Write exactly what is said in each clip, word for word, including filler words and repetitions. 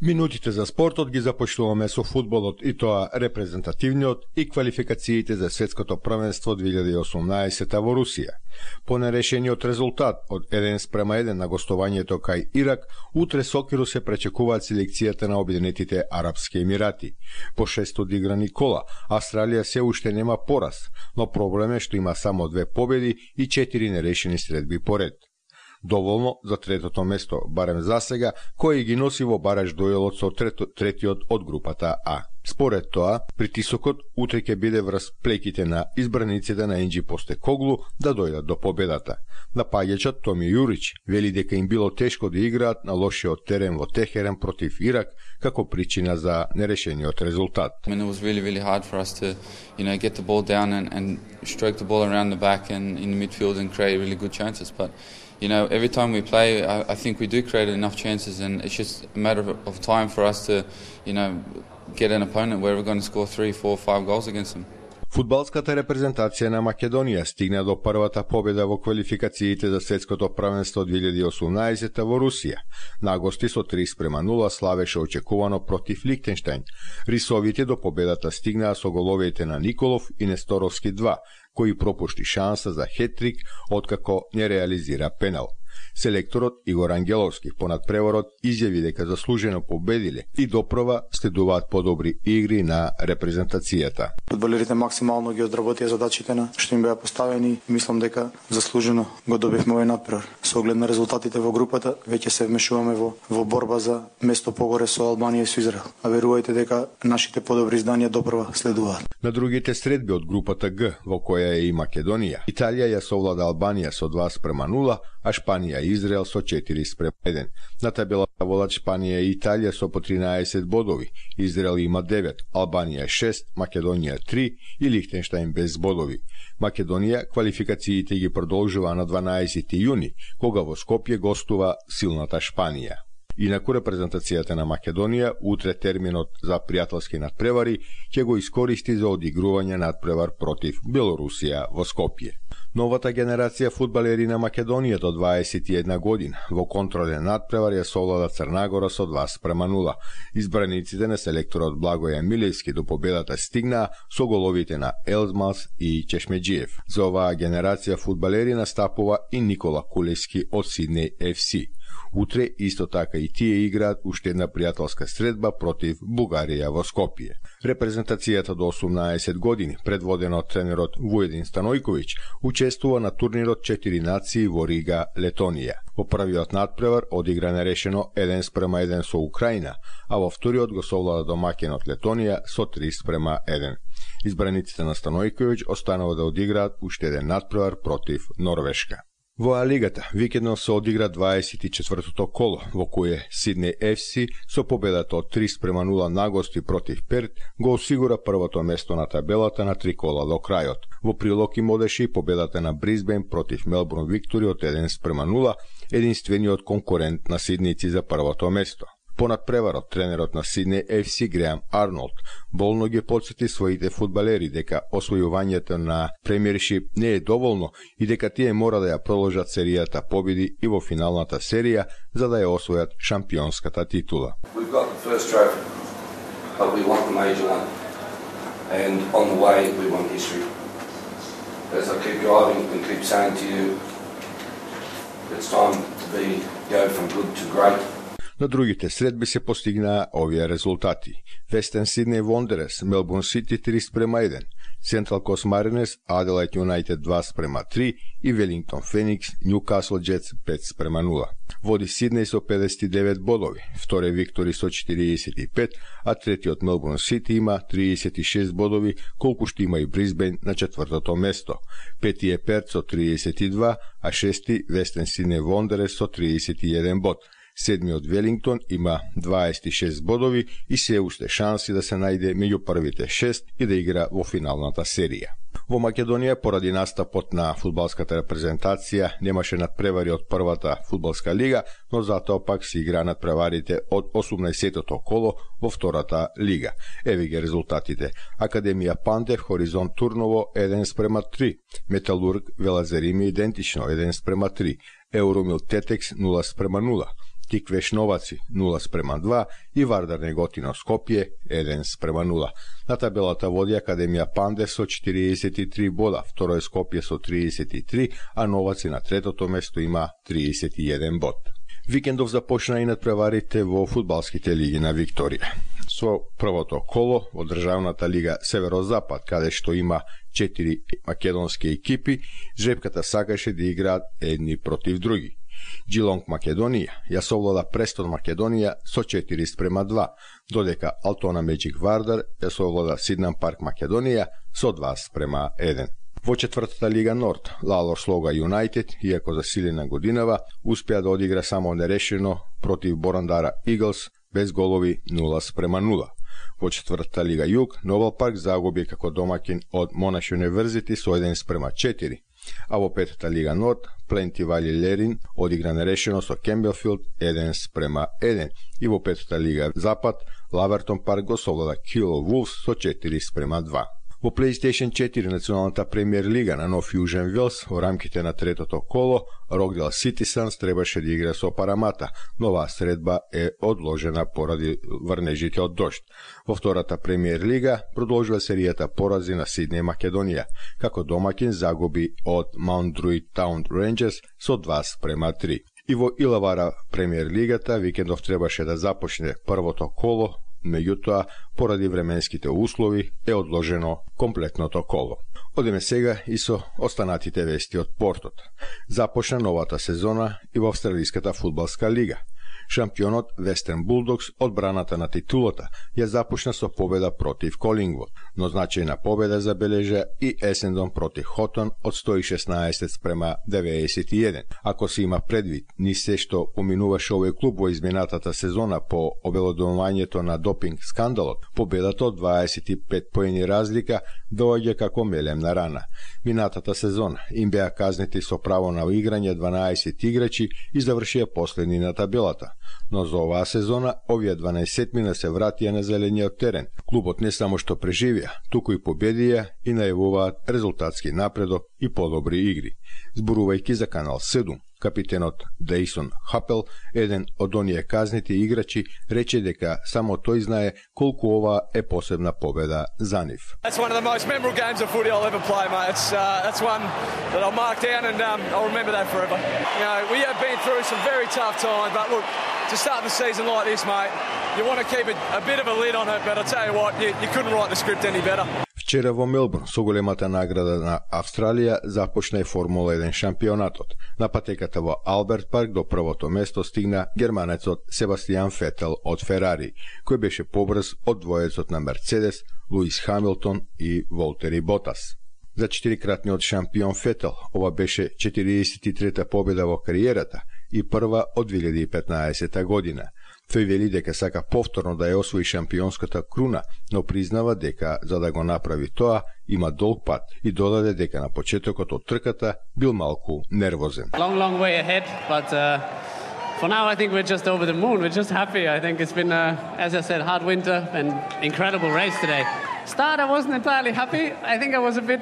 Минутите за спортот ги започнуваме со фудбалот, и тоа репрезентативниот и квалификациите за светското првенство две илјади и осумнаесета во Русија. По нерешениот резултат од еден спрема еден на гостувањето кај Ирак, утре Сокиру се пречекуваат селекцијата на Обединетите Арапски Емирати. По шест одиграни кола, Австралија се уште нема пораз, но проблем е што има само две победи и четири нерешени средби поред. Доволно за третото место, барем за сега, кој ги носи во бараж дуелот со трето, третиот од групата А. Според тоа, притисокот утре ќе биде врз плеките на избраниците на Енџи Постекоглу да дојдат до победата. Напаѓачот Томи Јурич вели дека им било тешко да играат на лошиот терен во Техерен против Ирак како причина за нерешениот резултат. I mean, it was really, really hard for us to, you know, get the ball down and, and stroke the ball around the back and in the midfield and create really good chances, but you know, every time we play, I, I think we do create enough chances, and it's just a matter of, of time for us to, you know, get an opponent where we're going to score three, four, five goals against them. Фудбалската репрезентација на Македонија стигна до првата победа во квалификациите за светското првенство две илјади и осумнаесета во Русија. На гости со три спрема нула славеше очекувано против Лихтенштајн. Рисовите до победата стигнаа со головите на Николов и Несторовски два, кој пропушти шанса за хетрик откако не реализира пенал. Селекторот Игор Ангеловски по надпреворот изјави дека заслужено победиле и допрва следуваат подобри игри на репрезентацијата. Фудбалерите максимално ги одработија задачите на што им беа поставени. Мислам дека заслужено го добивме овој надпревар. Со оглед на резултатите во групата, веќе се вмешуваме во во борба за место погоре со Албанија и со Израел. А верувајте дека нашите подобри изданија допрва следуваат. На другите средби од групата Г, во која е и Македонија, Италија ја совлада Албанија со два спрема нула, а Шпанија и Израел со четири спрема еден. На табелата водат Шпанија и Италија со по тринаесет бодови, Израел има девет, Албанија шест, Македонија три и Лихтенштајн без бодови. Македонија квалификациите ги продолжува на дванаесети јуни, кога во Скопје гостува силната Шпанија. Инаку репрезентацијата на Македонија утре терминот за пријателски надпревари ќе го искористи за одигрување надпревар против Белорусија во Скопје. Новата генерација фудбалери на Македонија до дваесет и една година во контролен надпревар ја совлада Црнагора со два спрема нула. Избраниците на селекторот Благоје Милевски до победата стигнаа со головите на Елзмас и Чешмеджиев. За оваа генерација фудбалери настапува и Никола Кулески од Сиднеј еф си. Утре исто така и тие играат уште една пријателска средба против Бугарија во Скопје. Репрезентацијата до осумнаесет години, предводена од тренерот Вуедин Станојковиќ, учествува на турнирот четири нации во Рига, Летонија. Во првиот надпревар одигра нерешено еден спрема еден со Украина, а во вториот го совлада домаќинот Летонија со три спрема еден. Избраниците на Станојковиќ останува да одиграат уште еден надпревар против Норвешка. Во А-лигата викендно се одигра дваесет и четвртото коло, во кое Сиднеј еф си со победата од три спрема нула на гости против Перт го осигура првото место на табелата на три кола до крајот. Во прилог им одеше и победата на Брисбен против Мелбурн Виктори од еден спрема нула, единствениот конкурент на сиднејци за првото место. По надпреварот, тренерот на Сиднеј еф си Греам Арнолд болно ги потсети своите фудбалери дека освојувањето на премиершип не е доволно и дека тие мора да ја продолжат серијата победи и во финалната серија за да ја освојат шампионската титула. We've got the first trophy, but we want the major one. And on the way we want history. As I keep driving and keep saying to you, it's time to be go from good to great. На другите средби се постигнаа овие резултати. Вестен Сиднеј Вондерерс, Мелбурн Сити три спрема еден, Централ Кост Маринерс, Аделајд Юнајтед два спрема три и Велингтон Феникс, Нјукасл Джетс пет спрема нула. Води Сиднеј со педесет и девет бодови, вторе Виктори со четириесет и пет, а третиот Мелбурн Сити има триесет и шест бодови, колку што има и Брисбен на четвртото место. Пети е Перт со триесет и два, а шести Вестен Сиднеј Вондерерс со триесет и еден бод. Седмиот Велингтон има дваесет и шест бодови и се уште шанси да се најде меѓу првите шест и да игра во финалната серија. Во Македонија, поради настапот на фудбалската репрезентација, немаше надпревари од првата фудбалска лига, но затоа пак се игра надпреварите од осумнаесеттото коло во втората лига. Еве ги резултатите. Академија Пандев, Хоризонт Турново еден спрема три, Металург Велазерими идентично еден спрема три, Евромил Тетекс нула спрема нула, Тиквеш Новаци нула спрема два и Вардар Неготино Скопје еден спрема нула. На табелата води Академија Панде со четириесет и три бода, второ е Скопје со триесет и три, а Новаци на третото место има триесет и еден бод. Викендов започна и надпреварите во фудбалските лиги на Викторија. Со првото коло во државната лига Северозапад, каде што има четири македонски екипи, жребката сакаше да играат едни против други. Джилонг Македонија ја совлада Престон Македонија со четири спрема два, додека Алтона Меджик Вардар ја совлада Сиднам Парк Македонија со два спрема еден. Во четвртата лига Норд, Лалор Слога Юнајтед, иако засилена годинава, успеа да одигра само нерешено против Борандара Иглс без голови нула спрема нула. Во четвртата лига Југ, Нобел Парк загуби како домакин од Монаш Универзити со еден спрема четири, а во петата лига Норд, Пленти Вали Лерин одигра нерешено со Кембелфилд еден спрема еден и во петата лига Запад, Лавертон Парк го совлада Кило Вулфс со четири спрема два. Во PlayStation четири националната премиер лига на Нов Јужен Велс во рамките на третото коло, Рокдел Ситисанс требаше да игра со Парамата, но оваа средба е одложена поради врнежите од дожд. Во втората премиер лига продолжува серијата порази на Сиднеј Македонија, како домакин загуби од Маунт Друид Таун Рейнџерс со два спрема три. И во Илавара премиер лигата викендов требаше да започне првото коло, меѓутоа, поради временските услови, е одложено комплетното коло. Одиме сега и со останатите вести од спортот. Започна новата сезона и во Австралиската фудбалска лига. Шампионот Вестерн Булдогс одбраната на титулата ја започна со победа против Колингвуд, но значајна победа забележа и Есендон против Хотон од сто и шеснаесет спрема деветдесет и еден. Ако се има предвид ни се што поминуваше овој клуб во изминатата сезона по обелодувањето на допинг скандалот, победата од дваесет и пет поени разлика доаѓа како мелемна рана. Минатата сезона им беа казнети со право на играње дванаесет играчи и завршија последни на табелата. Но за оваа сезона овие дванаесетмина се вратија на зелениот терен. Клубот не само што преживеа, туку и победија и најавуваат резултатски напредок и подобри игри. Зборувајќи за Канал седум, капитенот Дейсон Хапел, еден од оние казнети играчи, рече дека само тој знае колку ова е посебна победа за нив. That's one of the most memorable games of footy I'll ever play, mate. It's uh, that's one that I'll mark down and um, I'll remember that forever. You know, we have been through some very tough times, but look, to start the season like this, mate, you want to keep a, a bit of a lid on it, but I tell you what, you, you couldn't write the script any better. Вчера во Мелбурн, со големата награда на Австралија, започна и Формула еден шампионатот. На патеката во Алберт Парк до првото место стигна германецот Себастијан Фетел од Ферари, кој беше побрз од двоецот на Мерцедес, Луис Хамилтон и Волтери Ботас. За четирикратниот шампион Фетел, ова беше четириесет и трета победа во кариерата и прва од две илјади и петнаесета година. Тој вели дека сака повторно да ја освои шампионската круна, но признава дека за да го направи тоа има долг пат и додаде дека на почетокот од трката бил малку нервозен. Long, long way ahead, but uh, for now I think we're just over the moon. We're just happy. I think it's been, uh, as I said, hard winter and incredible race today. Start I wasn't entirely happy. I think I was a bit,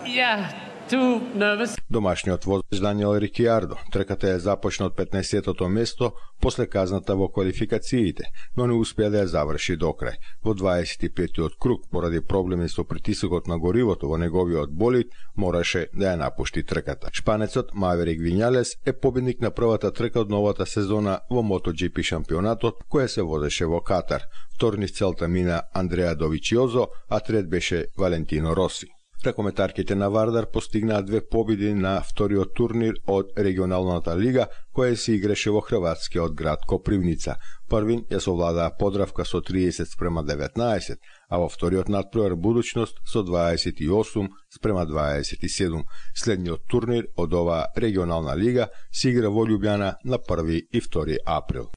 yeah, too nervous. Домашниот возач Даниел Рикиардо трката ја започна од петнаесеттото место после казната во квалификациите, но не успеа да ја заврши до крај. Во дваесет и петтиот круг, поради проблеми со притисокот на горивото во неговиот болид, мораше да ја напушти трката. Шпанецот Маверик Вињалес е победник на првата трка од новата сезона во MotoGP шампионатот, која се возеше во Катар. Втор низ целта мина Андреа Довичиозо, а трет беше Валентино Роси. Ракометарките на Вардар постигнаа две победи на вториот турнир од регионалната лига, која се играше во хрватскиот град Копривница. Првин ја совладаа Подравка со триесет спрема деветнаесет, а во вториот надпревар Будуќност со дваесет и осум спрема дваесет и седум. Следниот турнир од оваа регионална лига се игра во Љубљана на први и втори април.